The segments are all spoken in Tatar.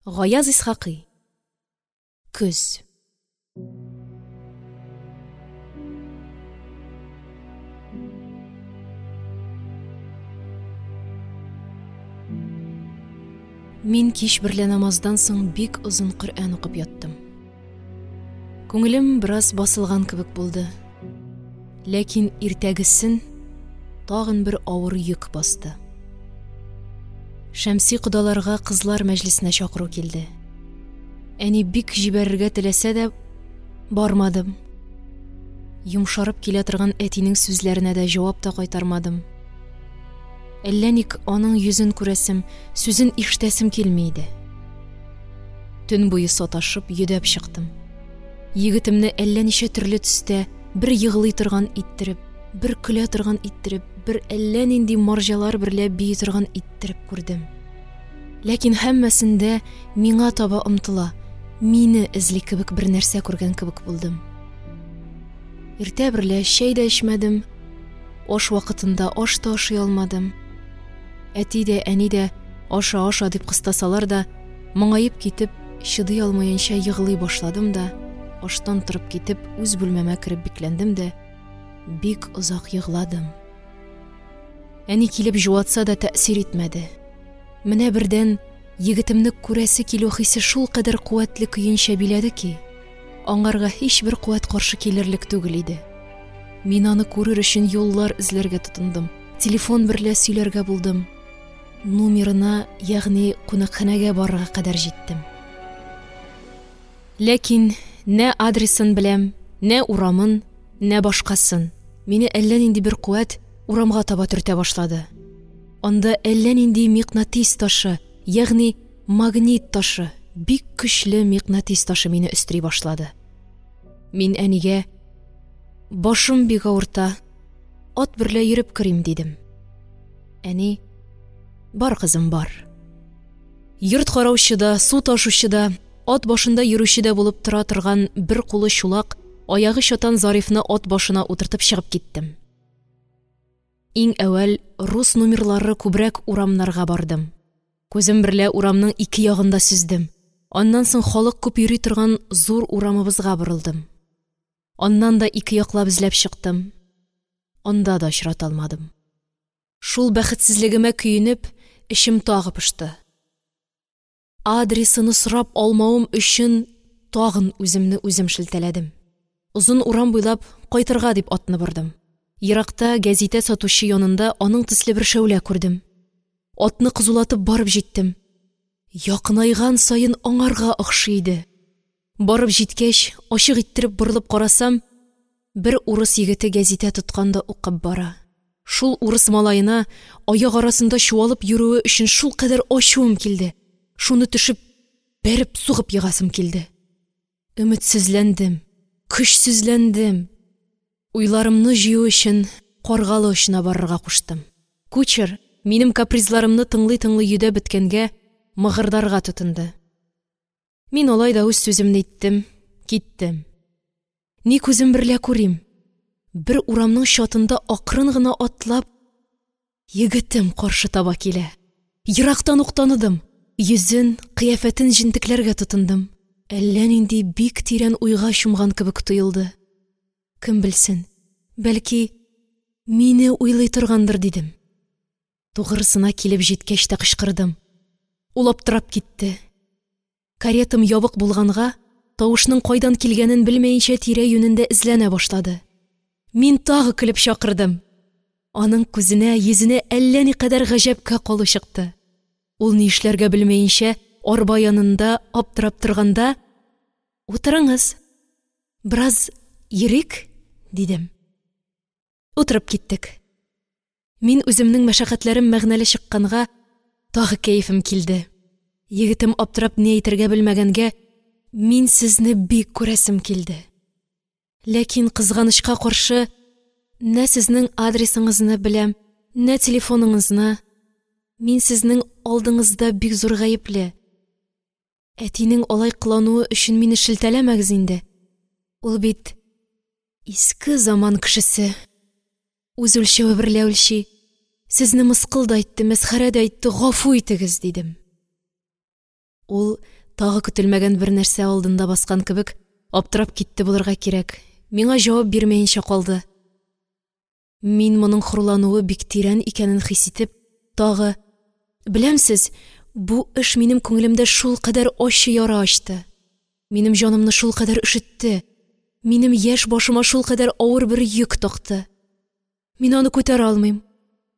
Гаяз Исхакый. Көз. Мин кич берлә намаздан соң бик озын Коръән укып яттым. Күңелем бераз басылган кебек булды. Ләкин иртәгесен тагын бер авыр йөк басты. Шәмси кодаларга кызлар мәҗлесенә чакыру килде. Әни бик җибәрергә теләсә дә, бармадым. Йомшарып килә торган әтинең сүзләренә дә җавап та кайтармадым. Әллә ник аның йөзен күрәсем, сүзен ишетәсем килми иде. Төн буе саташып, йөдәп чыктым. Егетемне әллә ничә төрле төстә бер егълый торган иттереп, бер көлә торган иттереп, бер әллә нинди марҗалар берлә бии торган иттереп күрдем. Ләкин һәммәсендә миңа таба омтыла, мине эзли кебек бер нәрсә күргән кебек булдым. Иртә берлә чәй дә эчмәдем, аш вакытында аш та ашый алмадым. Әти дә, әни дә аша, аша дип кыстасалар да, моңаеп китеп, чыдый алмаенча егълый башладым да, аштан торып китеп, үз бүлмәмә кереп бикләндем дә, бик озак егладым. Әни килеп җуатса да тәэсир итмәде. Менә бердән егетемне күрәсе килү хисе шулкадәр куәтле көенчә биләде ки, аңарга һичбер куәт каршы килерлек түгел иде. Мин аны күрер өчен юллар эзләргә тотындым, телефон берлә сөйләргә булдым. Нумерына, ягъни кунакханәгә барырга кадәр җиттем. Ләкин нә адресын беләм, нә урамын, нә башкасын. Мине әллә нинди бер куәт урамга таба төртә башлады. Анда әллә нинди микънатис ташы, ягъни магнит ташы, бик көчле микънатис ташы мине өстери башлады. Мин әнигә: "Башым бик авырта, ат берлә йөреп керим", дидем. Әни: "Бар, кызым, бар". Йорт караучы да, су ташучы да, ат башында йөрүче дә булып тора торган бер кулы чулак, аягы чатан Зарифны ат башына утыртып чыгып киттем. Иң әүвәл рус нумерлары күбрәк урамнарга бардым. Күзем берлә урамның ике ягын да сөздем. Аннан соң халык күп йөри торган зур урамыбызга борылдым. Аннан да ике яклап эзләп чыктым. Анда да очрата алмадым. Шул бәхетсезлегемә көенеп, эчем тагы пошты. Адресыны сорап алмавым өчен тагын үземне үзем шелтәләдем. Озын урам буйлап кайтырга дип атны бордым. Еракта гәзитә сатучы янында аның төсле бер шәүлә күрдем. Атны кызулатып барып җиттем. Якынайган саен аңарга охшый иде. Барып җиткәч, ачык иттереп борылып карасам, бер урыс егете гәзитә тоткан да укып бара. Шул урыс малаена аяк арасында чуалып йөрүе өчен шулкадәр ачуым килде. Шуны төшеп, бәреп сугып егасым килде. Өметсезләндем, көчсезләндем. Уйларымны җыю өчен Каргалы очына барырга куштым. Кучер, минем капризларымны тыңлый-тыңлый йөдәп беткәнгә, мыгырдарга тотынды. Мин алай да үз сүземне иттем, киттем. Ни күзем берлә күрим, бер урамның чатында акрын гына атлап, егетем каршы таба килә. Ерактан ук таныдым. Йөзен, кыяфәтен җентекләргә тотындым. Әллә нинди бик тирән уйга чумган кебек тоелды. Кем белсен, бәлки, мине уйлый торгандыр, дидем. Тугрысына килеп җиткәч тә кычкырдым. Ул аптырап китте. Каретам ябык булганга, тавышның кайдан килгәнен белмәенчә тирә-юнендә эзләнә башлады. Мин тагы көлеп чакырдым. Аның күзенә, йөзенә әллә никадәр гаҗәпкә калу чыкты. Ул ни эшләргә белмәенчә, арба янында аптырап торганда: "Утырыңыз, бераз йөрик", дидем. Утырып киттек. Мин үземнең мәшәкатьләрем мәгънәле чыкканга, тагы кәефем килде. Егетем аптырап ни әйтергә белмәгәнгә, мин сезне бик күрәсем килде. Ләкин кызганычка каршы, нә сезнең адресыңызны беләм, нә телефоныңызны. Мин сезнең алдыңызда бик зур гаепле. Әтинең алай кылануы өчен мине шелтәләмәгез инде. Ул бит иске заман кешесе. Үз үлчәве берлә үлчи. Сезне мыскыл да итте, мәсхәрә дә итте, гафу итегез, дидем. Ул, тагы көтелмәгән бер нәрсә алдында баскан кебек, аптырап китте булырга кирәк, миңа җавап бирмәенчә калды. Мин моның хурлануы бик тирән икәнен хис итеп, тагы: «Беләмсез, бу эш минем күңелемдә шулкадәр ачы яра ачты, минем җанымны шулкадәр өшетте, минем яшь башыма шулкадәр авыр бер йөк такты. Мин аны күтәрә алмыйм,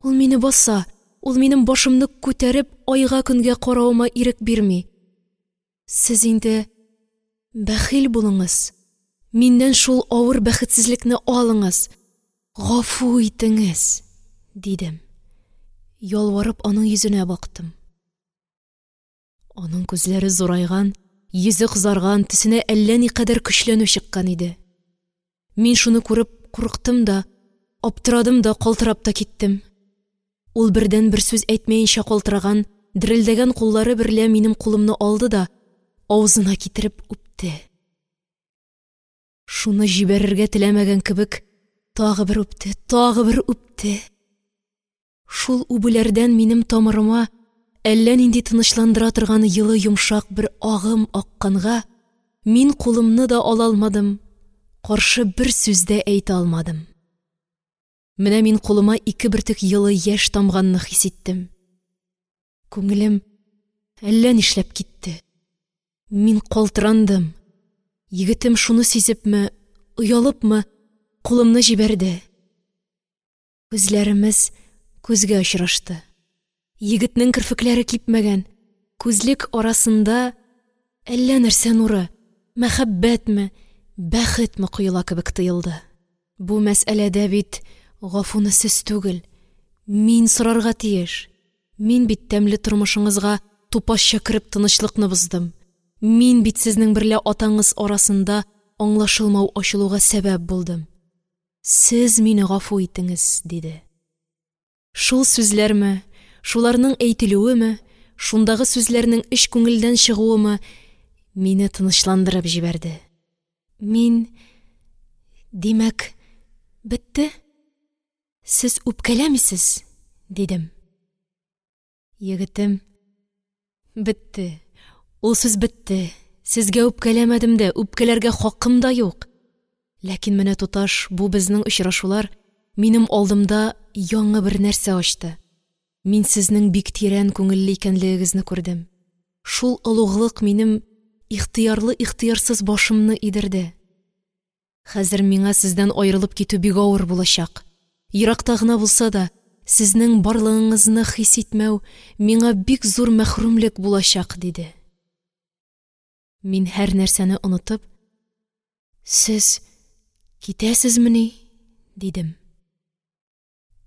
ул мине баса, ул минем башымны күтәреп айга-көнгә каравыма ирек бирми. Сез инде бәхил булыңыз, миннән шул авыр бәхетсезлекне алыңыз, гафу итеңез!» – дидем. Ялварып, аның йөзенә бактым. Аның күзләре зурайган, йөзе кызарган, төсенә әллә никадәр көчләнү чыккан иде. Мин шуны күреп курыктым да, аптырадым да, калтырап та киттем. Ул бердән бер сүз әйтмәенчә калтыраган, дерелдәгән куллары берлә минем кулымны алды да авызына китереп үпте. Шуны җибәрергә теләмәгән кебек, тагы бер үпте, тагы бер үпте. Шул үбүләрдән минем тамырыма әллә нинди тынычландыра торган йылы йомшак бер агым акканга, мин кулымны да ала алмадым, каршы бер сүз дә әйтә алмадым. Менә мин кулыма ике бөртек йылы яшь тамганны хис иттем. Күңелем әллә нишләп китте. Мин калтырандым. Егетем шуны сизепме, оялыпмы, кулымны җибәрде. Күзләремез күзгә очрашты. Егетнең керфекләре кипмәгән, күзлек арасында әллә нәрсә нуры, мәхәббәтме, бәхетме коела кебек тоелды. Бу мәсьәләдә бит гафуны сез түгел, мин сорарга тиеш. Мин бит тәмле тормышыңызга тупасча кереп тынычлыкны боздым. Мин бит сезнең берлә атаңыз арасында аңлашылмау ачылуга сәбәп булдым. Сез мине гафу итеңез, диде. Шул сүзләрме, шуларның әйтелүеме, шундагы сүзләрнең эч күңелдән чыгуымы мине тынычландырып җибәрде. Мин, димәк, бетте? Сез үпкәләмисез? Дидем. Егетем: «Бетте, ул сүз бетте, сезгә үпкәләмәдем дә, үпкәләргә хакым да юк. Ләкин менә, туташ, бу безнең очрашулар минем алдымда яңы бер нәрсә ачты. Мин сезнең бик тирән күңелле икәнлегегезне күрдем. Шул олуглык минем ихтыярлы-ихтыярсыз башымны идерде. Хәзер миңа сездән аерылып китү бик авыр булачак. Еракта гына булса да, сезнең барлыгыңызны хис итмәү миңа бик зур мәхрүмлек булачак, диде. Мин һәр нәрсәне онытып, «Сез китәсезмени?» дидем.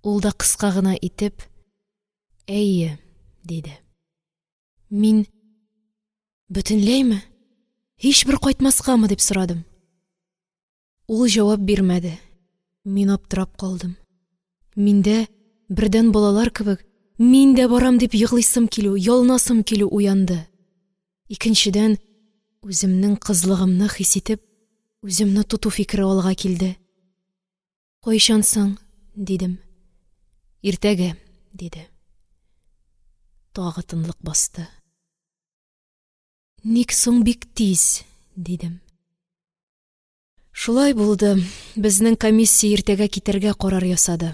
Ул да кыска гына итеп, «Әйе», диде. Мин: «Бөтенләйме? Һичбер кайтмаскамы?» – дип сорадым. Ул җавап бирмәде. Мин аптырап калдым. Миндә, бердән балалар кебек, мин дә барам дип еглыйсым килү, ялынасым килү уянды. Икенчедән, үземнең кызлыгымны хис итеп, үземне тоту фикере алга килде. «Кайчан соң?» – дидем. «Иртәгә», – диде. Тагы тынлык басты. «Ник соң бик тиз?» – дидем. Шулай булды, безнең комиссия иртәгә китәргә карар ясады.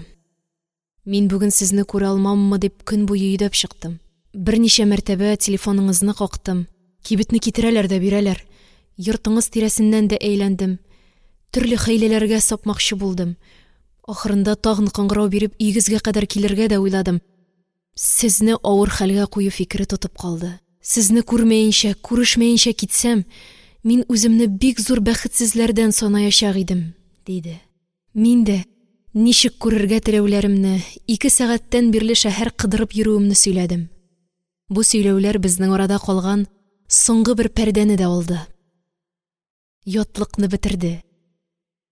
Мин бүген сезне күрә алмаммы дип көн буе йөдәп чыктым. Берничә мәртәбә телефоныңызны кактым. Кибетне китерәләр дә бирәләр. Йортыңыз тирәсеннән дә әйләндем. Төрле хәйләләргә сапмакчы булдым. Ахырында тагын кыңгырау биреп өегезгә кадәр килергә дә уйладым. Сезне авыр хәлгә кую фикере тотып калды. Сезне күрмәенчә, күрешмәенчә китсәм, мин үземне бик зур бәхетсезләрдән санаячак идем, диде. Мин дә ничек күрергә теләүләремне, 2 сәгатьтән бирле шәһәр кыдырып йөрүемне сөйләдем. Бу сөйләүләр безнең арада калган соңгы бер пәрдәне дә алды. Ятлыкны бетерде.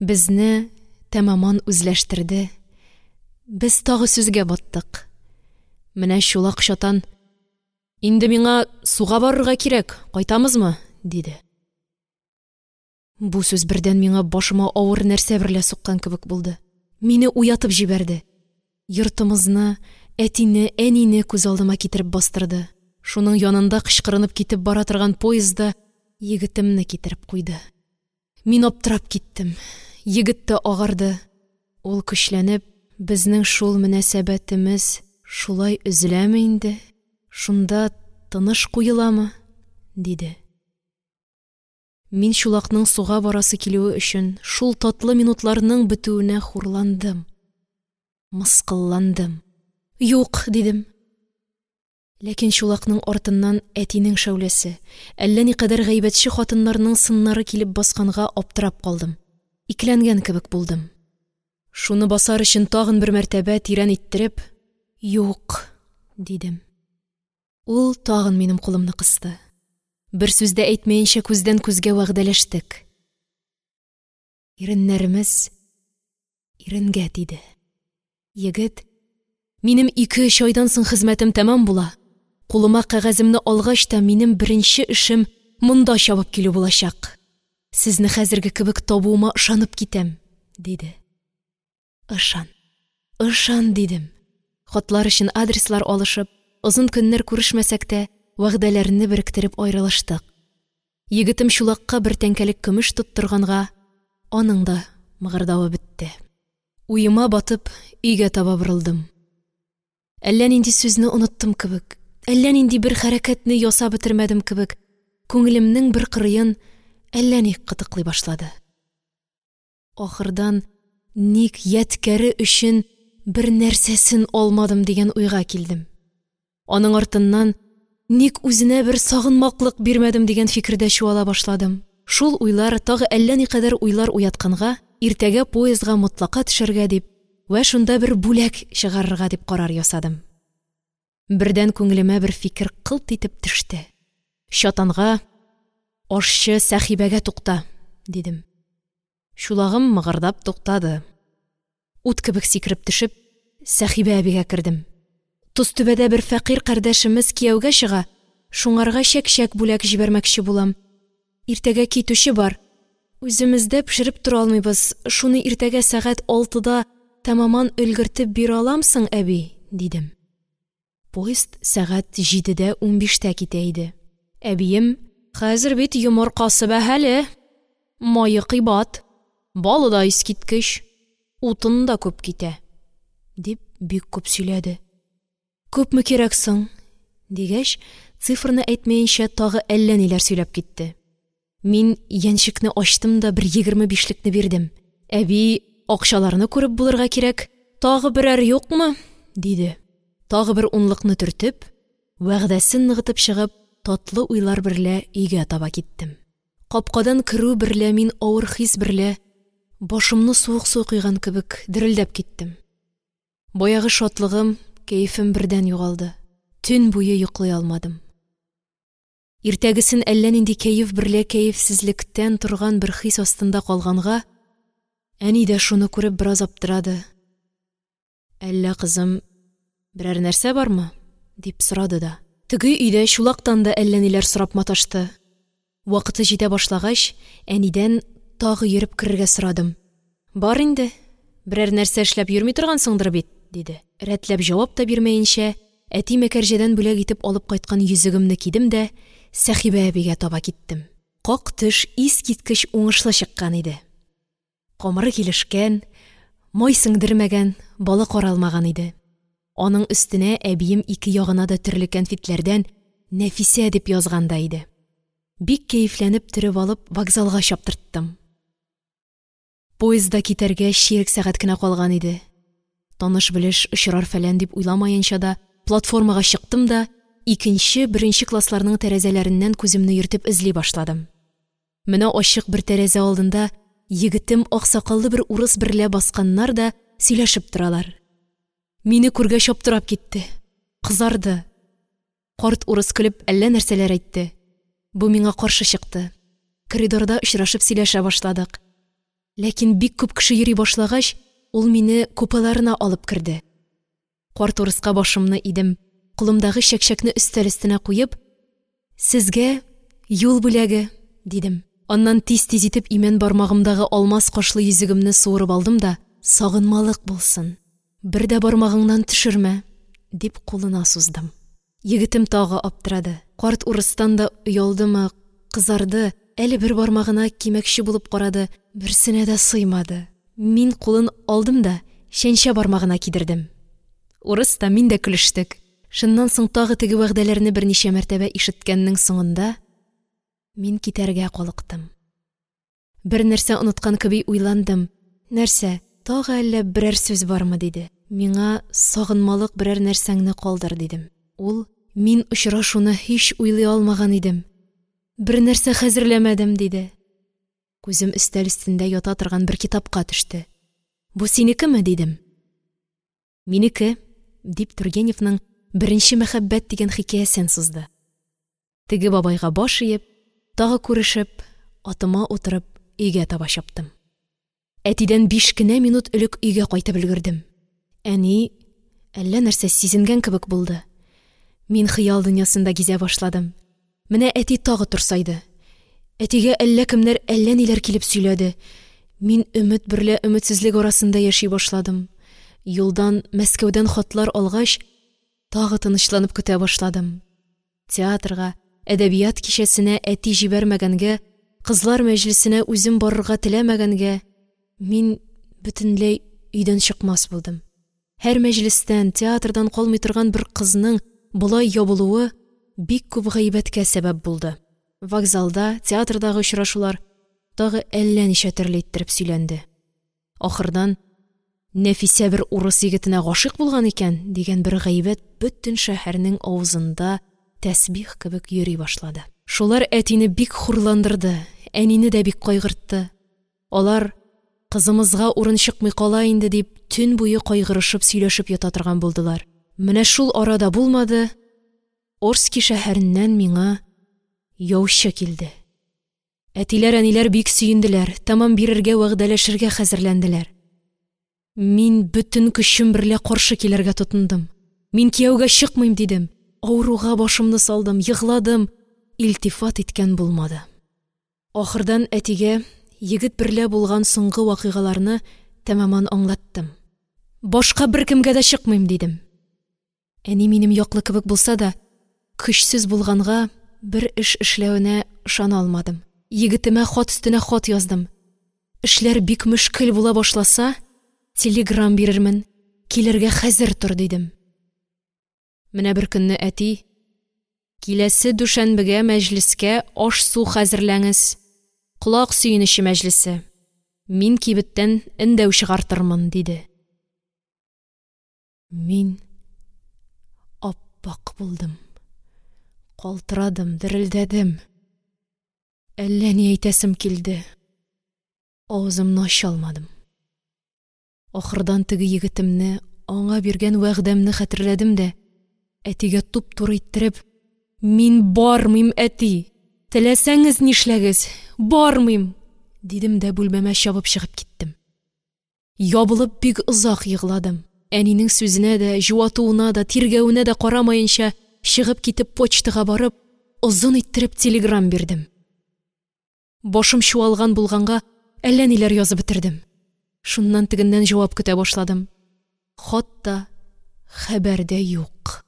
Безне тәмаман үзләштерде. Без тагы сүзгә баттык. Менә чулак чатан: «Инде миңа суга барырга кирәк, кайтамызмы?» – диде. Бу сүз бердән миңа башыма авыр нәрсә берлә суккан кебек булды. Мине уятып җибәрде. Йортымызны, әтине, әнине күз алдыма китереп бастырды. Шуның янында кычкырынып китеп бара торган поезд да егетемне китереп куйды. Мин аптырап киттем. Егет тә агарды. Ул, көчләнеп: «Безнең шул мөнәсәбәтемез шулай өзеләме инде, шунда тыныш куеламы?» – диде. Мин чулакның суга барасы килүе өчен шул татлы минутларның бетүенә хурландым, мыскылландым. «Юк!» – дидем. Ләкин чулакның артыннан әтинең шәүләсе, әллә никадәр гайбәтче хатыннарның сыннары килеп басканга аптырап калдым, икеләнгән кебек булдым. Шуны басар өчен тагын бер мәртәбә тирән иттереп: «Юк!» – дидем. Ул тагын минем кулымны кысты. Бер сүз дә әйтмәенчә күздән күзгә вәгъдәләштек. Иреннәремез иренгә тиде. Егет: «Минем 2-3 айдан соң хезмәтем тәмам була. Кулыма кәгаземне алгач та минем беренче эшем монда чабып килү булачак. Сезне хәзерге кебек табуыма ышанып китәм», – диде. «Ышан, ышан!» – дидем. Хатлар өчен адреслар алышып, озын көннәр күрешмәсәк тә, вәгъдәләрне беректереп аерылыштык. Егетем чулакка бер тәңкәлек көмеш тоттырганга, аның да мыгырдавы бетте. Уема батып, өйгә таба борылдым. Әллә нинди сүзне оныттым кебек, әллә нинди бер хәрәкәтне ясап бетермәдем кебек, күңелемнең бер кырыен әллә ни кытыклый башлады. Ахырдан ник ядкәре өчен бер нәрсәсен алмадым дигән уйга килдем. Аның артыннан ник үзенә бер сагынмаклык бирмәдем дигән фикердә чуала башладым. Шул уйлар тагы әллә никадәр уйлар уятканга, иртәгә поездга мотлака төшәргә дип вә шунда бер бүләк чыгарырга дип карар ясадым. Бердән күңелемә бер фикер кылт итеп төште. Чатанга: «Ашчы Сәхибәгә тукта!» – дидем. Чулагым мыгырдап туктады. Ут кебек сикереп төшеп, Сәхибә әбигә кердем. «Тозтүбәдә бер фәкыйрь кардәшемез кияүгә чыга, шуңарга чәкчәк бүләк җибәрмәкче булам. Иртәгә китүче бар. Үземездә пешереп тора алмыйбыз, шуны иртәгә сәгать 6-да тәмамән өлгертеп бирә аламсың, әби?» – дидем. Поезд сәгать 7:15 китә иде. Әбием: «Хәзер бит йомыркасы бәһале, мае кыйбат, балы да искиткеч, утын да күп китә», – дип бик күп сөйләде. «Күпме кирәк соң?» – дигәч, цифрны әйтмәенчә тагы әллә ниләр сөйләп китте. Мин янчекне ачтым да бер 25лекне бирдем. Әби: «Акчаларны күреп булырга кирәк, тагы берәр юкмы?» – диде. Тагы бер унлыкны төртеп, вәгъдәсен ныгытып чыгып, татлы уйлар берлә өйгә таба киттем. Капкадан керү берлә мин авыр хис берлә башымны суык су койган кебек дерелдәп киттем. Баягы шатлыгым, кәефем бердән югалды. Төн буе йоклый алмадым. Иртәгесен әллә нинди кәеф берлә кәефсезлектән торган бер хис астында калганга, әни дә шуны күреп бераз аптырады. «Әллә, кызым, берәр нәрсә бармы?» – дип сорады да. Теге өйдә чулактан да әллә ниләр сорап маташты. Вакыты җитә башлагач, әнидән тагы йөреп керергә сорадым. «Бар инде, берәр нәрсә эшләп йөрми торгансыңдыр бит», – диде. Рәтләп җавап та бирмәенчә, әти Мәкәрҗәдән бүләк итеп алып кайткан йөзегемне кидем дә Сәхибә әбигә таба киттем. Как төш искиткеч уңышлы чыккан иде. Камыры килешкән, май сеңдермәгән, балы каралмаган иде. Аның өстенә әбием ике ягына да төрле кәнфитләрдән «Нәфисә» дип язган да иде. Бик кәефләнеп төреп алып вокзалга чаптырттым. Поездда китәргә чирек сәгать кенә калган иде. Таныш-белеш очрар-фәлән дип уйламаенча да платформага чыктым да икенче, беренче классларның тәрәзәләреннән күземне йөртеп эзли башладым. Менә ачык бер тәрәзә алдында егетем аксакаллы бер урыс берлә басканнар да сөйләшеп торалар. Мине күргәч аптырап китте, кызарды. Карт урыс көлеп әллә нәрсәләр әйтте. Бу миңа каршы чыкты. Коридорда очрашып сөйләшә башладык. Ләкин бик күп кеше йөри башлагач, ул мине купеларына алып керде. Карт урыска башымны идем, кулымдагы чәкчәкне өстәл өстенә куеп: «Сезгә юл бүләге», – дидем. Аннан тиз-тиз итеп имән бармагымдагы алмас кашлы йөзегемне суырып алдым да: «Сагынмалык булсын, бер дә бармагыңнан төшермә», – дип кулына суздым. Егетем тагы аптырады. Карт урыстан да оялдымы, кызарды, әле бер бармагына кимәкче булып карады, берсенә дә сыймады. Мин кулын алдым да чәнчә бармагына кидердем. Урыс та, мин дә көлештек. Шуннан соң тагы теге вәгъдәләрне берничә мәртәбә ишеткәннең соңында мин китәргә калыктым. Бернәрсә оныткан кеби уйландым. Нәрсә, тагы әллә берәр сүз бармы? – диде. Миңа сагынмалык берәр нәрсәңне калдыр, дидем. Ул: «Мин очрашуны һич уйлый алмаган идем. Бернәрсә хәзерләмәдем», – диде. Күзем өстәл өстендә ята торган бер китапка төште. «Бу синекеме?» – дидем. «Минеке», – дип, Тургеневның «Беренче мәхәббәт» дигән хикәясен сузды. Теге бабайга баш иеп, тагы күрешеп, атыма утырып, өйгә таба чаптым. Әтидән 5 кенә минут элек өйгә кайтып өлгердем. Әни әллә нәрсә сизенгән кебек булды. Мин хыял дөньясында гизә башладым. Менә әти тагы турсайды. Әтигә әллә кемнәр әллә ниләр килеп сөйләде. Мин өмет берлә өметсезлек арасында яши башладым. Юлдан, Мәскәүдән хатлар алгач, тагы тынычланып көтә башладым. Театрга, әдәбият кичәсенә әти җибәрмәгәнгә, кызлар мәҗлесенә үзем барырга теләмәгәнгә, мин бөтенләй өйдән чыкмас булдым. Һәр мәҗлестән, театрдан калмый торган бер кызның болай ябылуы бик күп гайбәткә сәбәп булды. Вокзалда, театрдагы очрашулар тагы әллә ничә төрле иттереп сөйләнде. Ахырдан «Нәфисә бер урыс егетенә гашыйк булган икән» дигән бер гайбәт бөтен шәһәрнең авызында тәсбих кебек йөри башлады. Шулар әтине бик хурландырды, әнине дә бик кайгыртты. Алар «Кызымызга урын чыкмый кала инде» дип төн буе кайгырышып сөйләшеп ята торган булдылар. Менә шул арада булмады, Орски шәһәреннән миңа яучы килде. Әтиләр-әниләр бик сөенделәр, тәмам бирергә вәгъдәләшергә хәзерләнделәр. Мин бөтен көчем берлә каршы килергә тотындым. Мин кияүгә чыкмыйм, дидем. Авыруга башымны салдым, егладым. Илтифат иткән булмады. Ахырдан әтигә егет берлә булган соңгы вакыйгаларны тәмамән аңлаттым. Башка беркемгә дә чыкмыйм, дидем. Әни минем яклы кебек булса да, көчсез булганга бер эш эшләвенә ышана алмадым. Егетемә хат өстенә хат яздым. Эшләр бик мөшкел була башласа, телеграм бирермен, килергә хәзер тор, дидем. Менә бер көнне әти: «Киләсе дүшәнбегә мәҗлескә аш-су хәзерләңез. Колак сөенече мәҗлесе. Мин кибеттән эндәү чыгартырмын», – диде. Мин аппак булдым. Калтырадым, дерелдәдем. Әллә ни әйтәсем килде. Авызымны ача алмадым. Ахырдан теге егетемне, аңа биргән вәгъдәмне хәтерләдем дә, әтигә туп-туры иттереп: «Мин бармыйм, әти! Теләсәңез нишләгез, бармыйм!» – дидем дә бүлмәмә чабып чыгып киттем. Ябылып бик озак егладым. Әнинең сүзенә дә, җуатуына да, тиргәвенә дә карамаенча, чыгып китеп почтага барып, озын иттереп телеграм бирдем. Башым чуалган булганга әллә ниләр язып бетердем. Шуннан тегеннән җавап көтә башладым. Хат та, хәбәр дә юк.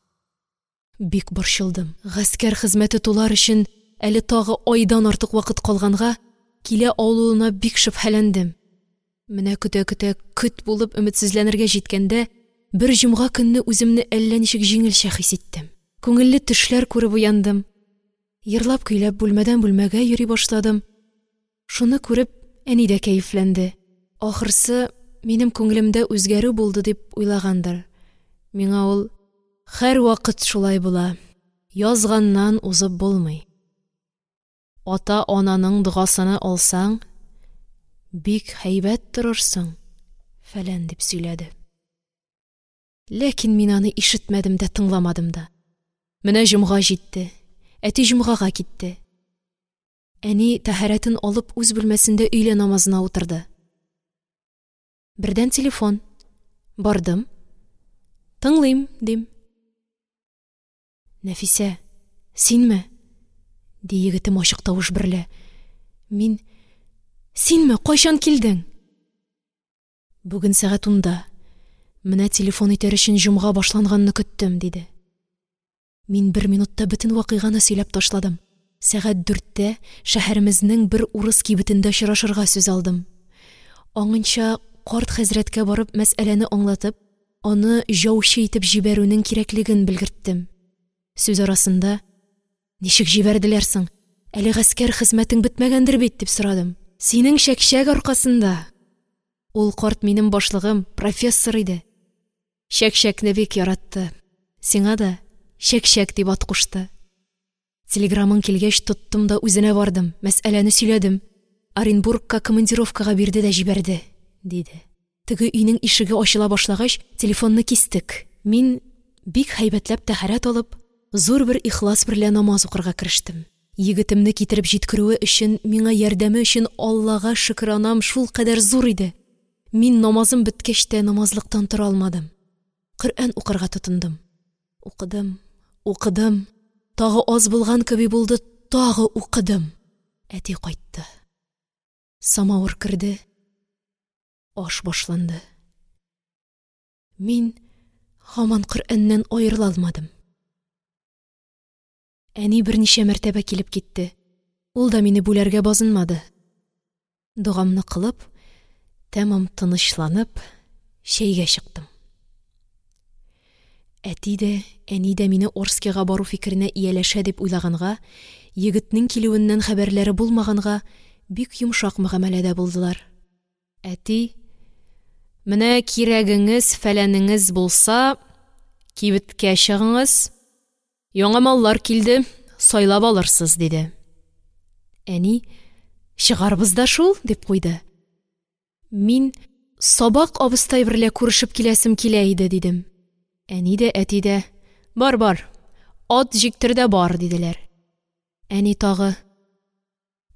Бик борчылдым. Гаскәр хезмәте тулар өчен әле тагы айдан артык вакыт калганга, килә алуына бик шөбһәләндем. Менә көтә-көтә көт булып өметсезләнергә җиткәндә, бер җомга көнне үземне әллә ничек җиңелчә хис иттем. Күңелле төшләр күреп уяндым. Йырлап-көйләп бүлмәдән бүлмәгә йөри башладым. Шуны күреп, әни дә кәефләнде. Ахырсы, минем күңелемдә үзгәрү булды дип уйлагандыр. Миңа ул: «Һәрвакыт шулай була, язганнан узып булмый. Ата-ананың догасыны алсаң, бик һәйбәт торырсың», фәлән дип сөйләде. Ләкин мин аны ишетмәдем дә, тыңламадым да. Менә җомга җитте. Әти җомгага китте. Әни тәһарәтен алып үз бүлмәсендә өйлә намазына утырды. Бердән телефон. Бардым. «Тыңлыйм», – дим. «Нәфисә, синме?» – ди егетем ачык тавыш берлә. Мин: «Синме? Кайчан килдең?» «Бүген сәгать 10-да. Менә телефон итәр өчен җомга башланганны көттем», – диде. Мин бер минутта бөтен вакыйганы сөйләп ташладым. Сәгать 4тә шәһәремезнең бер урыс кибетендә очрашырга сүз алдым. Аңынча карт хәзрәткә барып мәсьәләне аңлатып, аны яучы итеп җибәрүнең кирәклеген белгерттем. Сүз арасында: «Ничек җибәрделәр соң, әле гаскәр хезмәтең бетмәгәндер бит?» – дип сорадым. «Синең чәкчәк аркасында!» Ул карт минем башлыгым, профессор иде. Чәкчәкне бик яратты. Сиңа да Чәкчәк дип ат кушты. Телеграмың килгәч, тоттым да үзенә бардым, мәсьәләне сөйләдем. Оренбургка командировкага бирде дә җибәрде, диде. Теге өйнең ишеге ачыла башлагач, телефонны кистек. Мин, бик һәйбәтләп тәһарәт алып, зур бер ихлас берлә намаз укырга керештем. Егетемне китереп җиткерүе өчен, миңа ярдәме өчен Аллага шөкранам шулкадәр зур иде. Мин намазым беткәч тә намазлыктан тора алмадым. Коръән укырга тотындым. Укыдым, укыдым. Тагы аз булган кеби булды, тагы укыдым. Әти кайтты. Самавыр керде. Аш башланды. Мин һаман Коръәннән аерыла алмадым. Әни берничә мәртәбә килеп китте. Ул да мине бүләргә базынмады. Догамны кылып, тәмам тынычланып, чәйгә чыктым. Әти дә, әни дә мине Орскига бару фикеренә ияләшә дип уйлаганга, егетнең килүеннән хәбәрләре булмаганга, бик йомшак мөгамәләдә булдылар. Әти: «Менә кирәгеңез, фәләнеңез булса, кибеткә чыгыңыз, яңа маллар килде, сайлап алырсыз», – диде. Әни: «Чыгарбыз да шул», – дип куйды. Мин: «Сабак абыстай берлә күрешеп киләсем килә иде», – дидем. Әни дә, әти дә: «Бар, бар, ат җиктер дә бар», – диделәр. Әни тагы: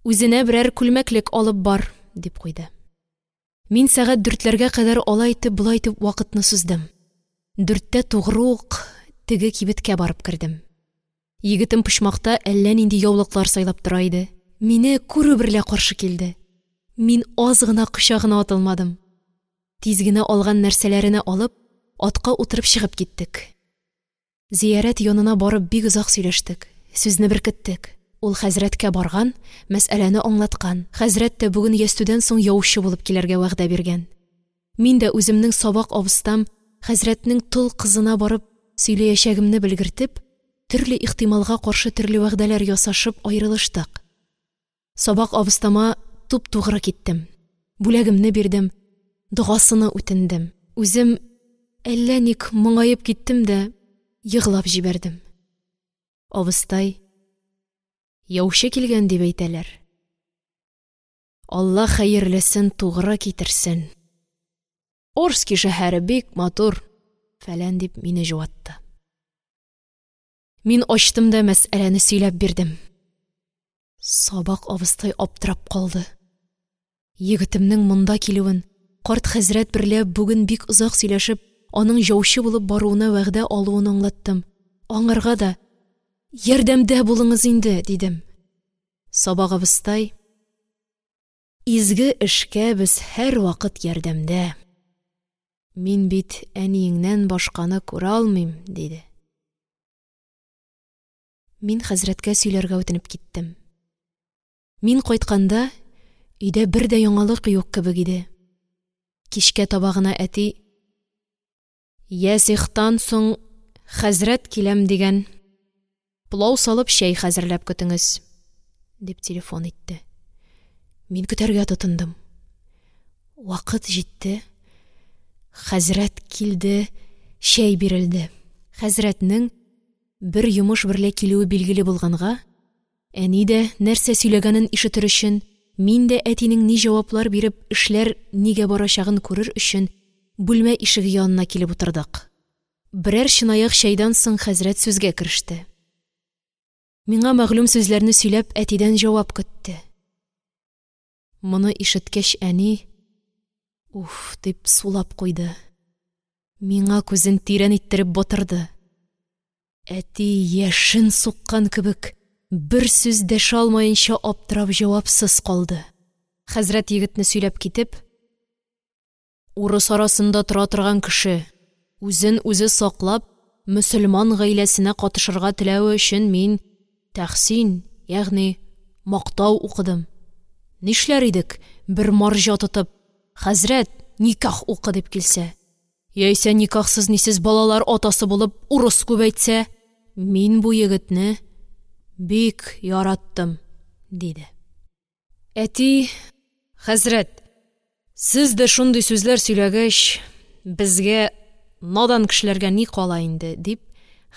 «Үзенә берәр күлмәклек алып бар», – дип куйды. Мин сәгать 4ләргә кадәр алай итеп, болай итеп вакытны суздым. 4тә тугры ук теге кибеткә барып кердем. Егетем почмакта әллә нинди яулыклар сайлап тора иде. Мине күрү берлә каршы килде. Мин аз гына кочагына атылмадым. Тиз генә алган нәрсәләренә алып, атка утырып чыгып киттек. Зиярәт янына барып бик озак сөйләштек, сүзне беркеттек. Ул хәзрәткә барган, мәсьәләне аңлаткан. Хәзрәт тә бүген ястүдән соң яучы булып килергә вәгъдә биргән. Мин дә үземнең сабак абыстам хәзрәтнең тол кызына барып сөйләячәгемне белгертеп, төрле ихтималга каршы төрле вәгъдәләр ясашып аерылыштык. Сабак абыстама туп-тугры киттем. Бүләгемне бирдем, догасыны үтендем. Үзем әллә ник моңаеп киттем дә егълап җибәрдем. Абыстай: «Яучы килгән дип әйтәләр. Алла хәерлесен тугры китерсен. Орски шәһәре бик матур», фәлән дип мине җуатты. Мин ачтым да мәсьәләне сөйләп бирдем. Сабак абыстай аптырап калды. Егетемнең монда килүен, карт хәзрәт берлә бүген бик озак сөйләшеп, аның яучы булып баруына вәгъдә алуын аңлаттым. Аңарга да: «Ярдәмдә булыңыз инде», – дидем. Сабак абыстай: «Изге эшкә без һәрвакыт ярдәмдә. Мин бит әниеңнән башканы күрә алмыйм», – диде. Мин хәзрәткә сөйләргә үтенеп киттем. Мин кайтканда өйдә бер дә яңалык юк кебек иде. Кичкә таба гына әти: «Ясихтан соң хәзрәт киләм дигән, пылау салып чәй хәзерләп көтеңез», – дип телефон итте. Мин көтәргә тотындым. Вакыт җитте. Хәзрәт килде, чәй бирелде. Хәзрәтнең бер йомыш берлә килүе билгеле булганга, әни дә нәрсә сөйләгәнен ишетер өчен, мин дә әтинең ни җаваплар биреп, эшләр нигә барачагын күрер өчен бүлмә ишеге янына килеп утырдык. Берәр чынаяк чәйдән соң хәзрәт сүзгә кереште. Миңа мәгълүм сүзләрне сөйләп, әтидән җавап көтте. Моны ишеткәч, әни «Уф!» дип сулап куйды. Миңа күзен тирән иттереп батырды. Әти яшен суккан кебек бер сүз дәшә алмаенча аптырап җавапсыз калды. Хәзрәт егетне сөйләп китеп: «Урыс арасында тора торган кеше, үзен үзе саклап, мөселман гаиләсенә катышырга теләве өчен мин тәхсин, ягъни мактау укыдым. Нишләр идек, бер марҗа тотып: «Хәзрәт, никях укы!» – дип килсә, яисә никяхсыз-нисез балалар атасы булып, урыс күбәйтсә? Мин бу егетне бик яраттым, – диде. Әти: – Хәзрәт, сез дә шундый сүзләр сөйләгәч, безгә, надан кешеләргә, ни кала инде? – дип,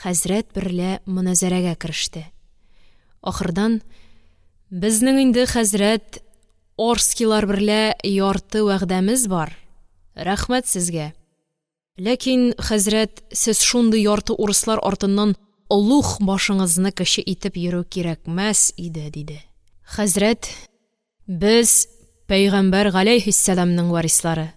хәзрәт берлә моназарәгә кереште. Ахырдан: – Безнең инде, хәзрәт, Орскилар берлә ярты вәгъдәмез бар, рәхмәт сезгә! Ләкин, хәзрәт, сез шундый ярты урыслар артыннан олуг башыңызны кече итеп йөрү кирәкмәс иде, – диде. Хәзрәт: – Без пәйгамбәр галәйһиссәламнең варислары.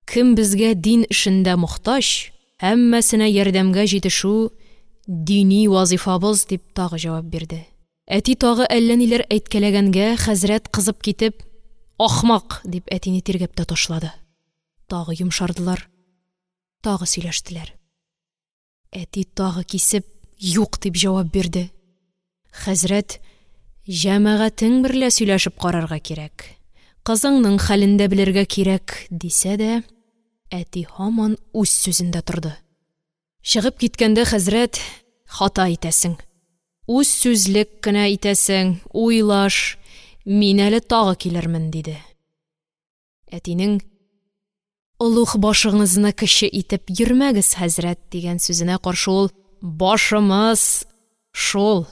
Кем безгә дин эшендә мохтаҗ, һәммәсенә ярдәмгә җитешү – дини вазифабыз, – дип, тагы җавап бирде. Әти тагы әллә ниләр әйткәләгәнгә, хәзрәт, кызып китеп: – Ахмак! – дип, әтине тиргәп тә ташлады. Тагы йомшардылар, тагы сөйләштеләр. Әти тагы кисеп: – Юк, – дип җавап бирде. Хәзрәт: – Җәмәгатең берлә сөйләшеп карарга кирәк, кызыңның хәлен дә белергә кирәк, – дисә дә, әти һаман үз сүзендә торды. Чыгып киткәндә, хәзрәт: – Хата итәсең, үзсүзлек кенә итәсең, уйлаш, мин әле тагы килермен, – диде. Әтинең: – Олуг башыңызны кече итеп йөрмәгез, хәзрәт, – дигән сүзенә каршы ул: – Башымыз шул,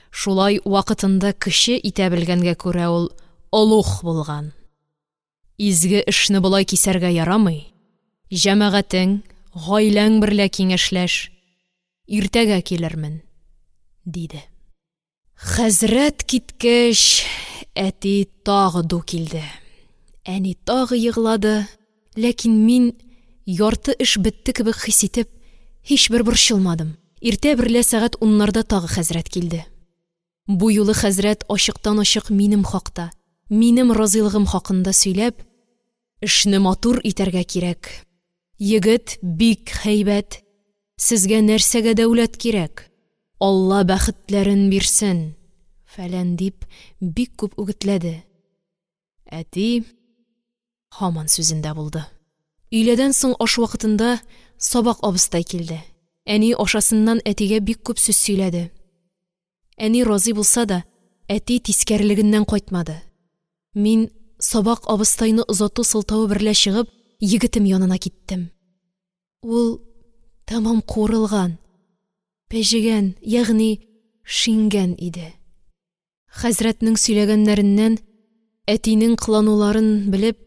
шулай вакытында кече итә белгәнгә күрә, ул олуг булган. Изге эшне болай кисәргә ярамый, җәмәгатең, гаиләң берлә киңәшләш, иртәгә килермен, – диде. Хәзрәт киткәч, әти тагы ду килде. Әни тагы еглады. Ләкин мин, ярты эш бетте кебек хис итеп, һичбер борчылмадым. Иртә берлә сәгать уннарда тагы хәзрәт килде. Бу юлы хәзрәт ачыктан-ачык минем хакта, минем разыйлыгым хакында сөйләп: – Эшне матур итәргә кирәк, егет бик һәйбәт, сезгә нәрсәгә дәүләт кирәк, Алла бәхетләрен бирсен, фәлән, – дип, бик күп үгетләде. Әти һаман сүзендә булды. Өйләдән соң аш вакытында сабак абызтай килде. Әни ашасыннан әтигә бик күп сүз сөйләде. Әни разый булса да, әти тискәрелегеннән кайтмады. Мин, сабак абызтайны озату сылтавы берлә чыгып, егетем янына киттем. Ул тәмам куырылган, пәҗегән, ягъни шиңгән иде. Хәзрәтнең сөйләгәннәреннән, әтинең кылануларын белеп,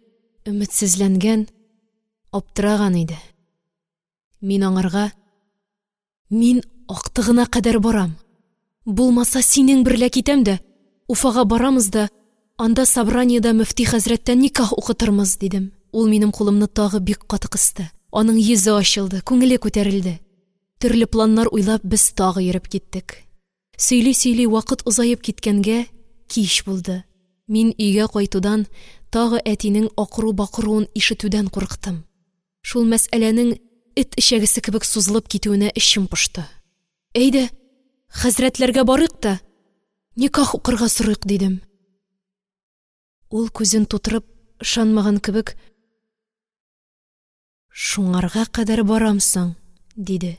өметсезләнгән, аптыраган иде. Мин аңарга: – Мин актыгына кадәр барам, булмаса, синең берлә китәм дә, Уфага барамыз да, анда собраниедә мөфти хәзрәттән никях укытырмыз, – дидем. Ул минем кулымны тагы бик каты кысты. Аның йөзе ачылды, күңеле күтәрелде. Төрле планнар уйлап, без тагы йөреп киттек. Сөйли-сөйли вакыт озаеп киткәнгә, кич булды. Мин өйгә кайтудан, тагы әтинең акыру-бакыруын ишетүдән курыктым. Шул мәсьәләнең эт эчәгесе кебек сузылып китүенә эчем пошты. – Әйдә, хәзрәтләргә барыйк та, никях укырга сорыйк, – дидем. Ул, күзен тутырып, ышанмаган кебек: – Шуңарга кадәр барамсың? – диде.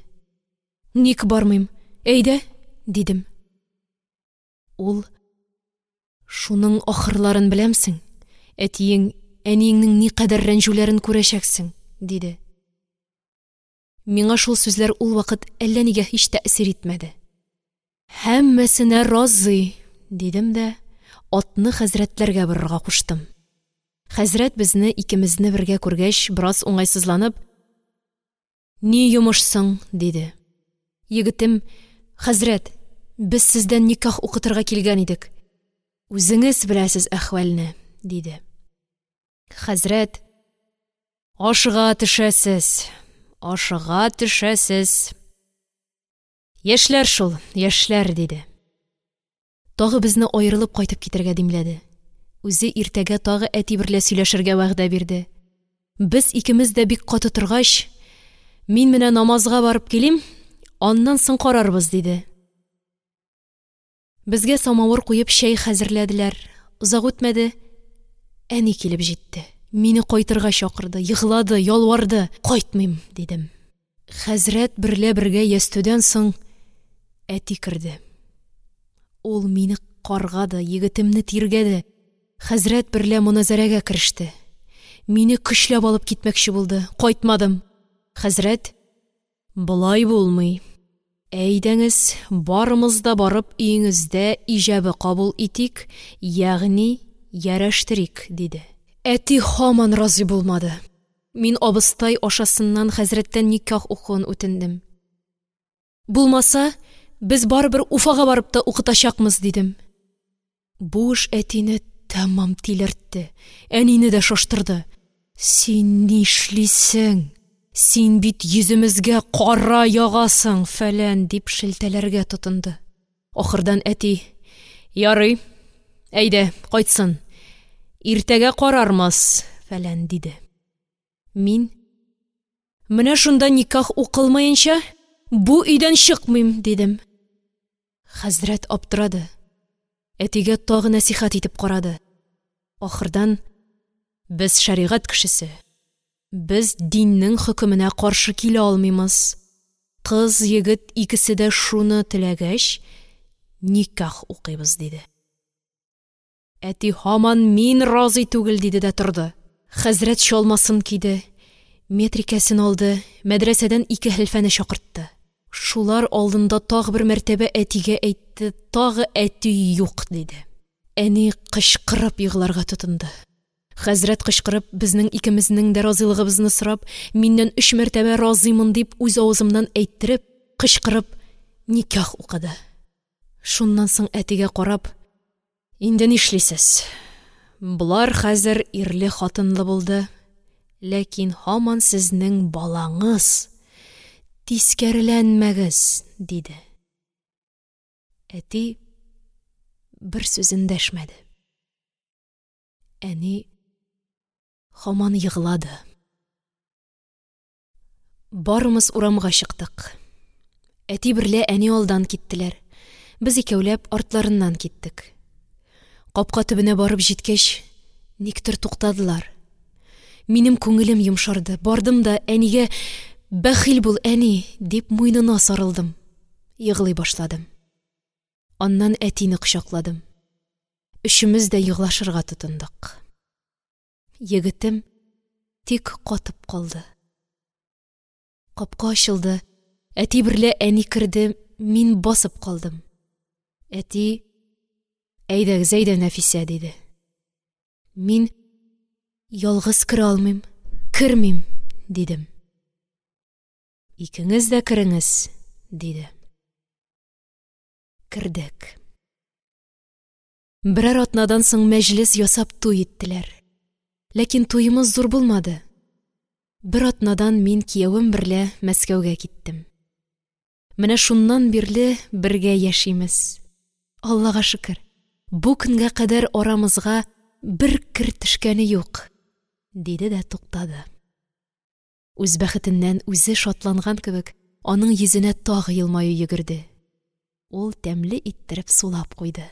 – Ник бармыйм, әйдә, – дидем. Ул: – Шуның ахырларын беләмсең, әтиең, әниеңнең никадәр рәнҗүләрен күрәчәксең, – диде. Миңа шул сүзләр ул вакыт әллә нигә һич тәэсир итмәде. Һәммәсенә разый, – дидем дә атны хәзрәтләргә борырга куштым. Хәзрәт безне икемезне бергә күргәч, бераз уңайсызланып: – Ни йомыш соң? – диде. Егетем: – Хәзрәт, без сездән никях укытырга килгән идек, үзеңез беләсез әхвальне, – диде. Хәзрәт: – Ашыга төшәсез, ашыга төшәсез! Яшьләр шул, яшьләр, – диде. Тагы безне аерылып кайтып китәргә димләде. Үзе иртәгә тагы әти берлә сөйләшергә вәгъдә бирде. Без икемез дә бик каты торгач: – Мин менә намазга барып килим, Аннан соң карарбыз, – диде. Безгә самавыр куеп чәй хәзерләделәр. Озак үтмәде, әни килеп җитте. Мине кайтырга чакырды, еглады, ялварды. «Кайтмыйм!» – дидем. Хәзрәт берлә бергә ястүдән соң әти керде. Ул мине каргады, егетемне тиргәде. Хәзрәт берлә моназарәгә кереште. Мине көчләп алып китмәкче булды, кайтмадым. Хәзрәт: «Болай булмый, әйдәңез, барымыз да барып, өеңездә иҗабе кабул итик, ягъни ярәштерик», – диде. Әти һаман разый булмады. Мин абыстай ашасыннан хәзрәттән никях укуын үтендем. Булмаса, без барыбер Уфага барып та укытачакмыз, дидем. Бу эш әтине тәмам тилертте, әнине дә шаштырды. «Син нишлисең? Син бит йөземезгә кара ягасың, фәлән», – дип шелтәләргә тотынды. Ахырдан әти: «Ярый, әйдә, кайтсын, иртәгә карармыз, фәлән», – диде. Мин: «Менә шунда никях укылмаенча, бу өйдән чыкмыйм», – дидем. Хәзрәт аптырады. Әтигә тагы нәсыйхәт итеп карады. Ахырдан: «Без шәригать кешесе, без диннең хөкеменә каршы килә алмыймыз. Кыз, егет икесе дә шуны теләгәч, никях укыйбыз», – диде. Әти һаман: «Мин разый түгел», – диде дә торды. Хәзрәт чалмасын киде, метрикәсен алды, мәдрәсәдән ике хәлфәне чакыртты. Шулар алдында тагы бер мәртәбә әтигә әйтте, тагы әти юк, диде. Әни кычкырып егларга тотынды. Хәзрәт кычкырып, безнең икемезнең дә разыйлыгыбызны сорап, миннән 3 мәртәбә разыймын дип үз авызымнан әйттереп, кычкырып никях укыды. Шуннан соң әтигә карап: «Инде нишлисез? Болар хәзер ирле-хатынлы булды, ләкин һаман сезнең балаңыз, тискәреләнмәгез», – диде. Әти бер сүз эндәшмәде. Әни һаман еглады. Барымыз урамга чыктык. Әти берлә әни алдан киттеләр. Без икәүләп артларыннан киттек. Капка төбенә барып җиткәч, никтер туктадылар. Минем күңелем йомшарды. Бардым да әнигә: «Бәхил бул, әни!» – дип, муенына сарылдым. Еглый башладым. Аннан әтине кочакладым. Өчемез дә еглашырга тотындык. Егетем тик катып калды. Капка ачылды. Әти берлә әни керде, мин басып калдым. Әти: «Әйдәгез, әйдә, Нәфисә», – диде. Мин: «Ялгыз керә алмыйм, кермим», – дидем. «Икеңез дә кереңез», – диде. Кердек. Берәр атнадан соң мәҗлес ясап туй иттеләр. Ләкин туемыз зур булмады. Бер атнадан мин киявем берлә Мәскәүгә киттем. Менә шуннан бирле бергә яшимез. Аллага шөкер, бу көнгә кадәр арамызга бер кер төшкәне юк, диде дә туктады. Үз бәхетеннән үзе шатланган кебек, аның йөзенә тагы елмаю йөгерде. Ул тәмле иттереп сулап куйды.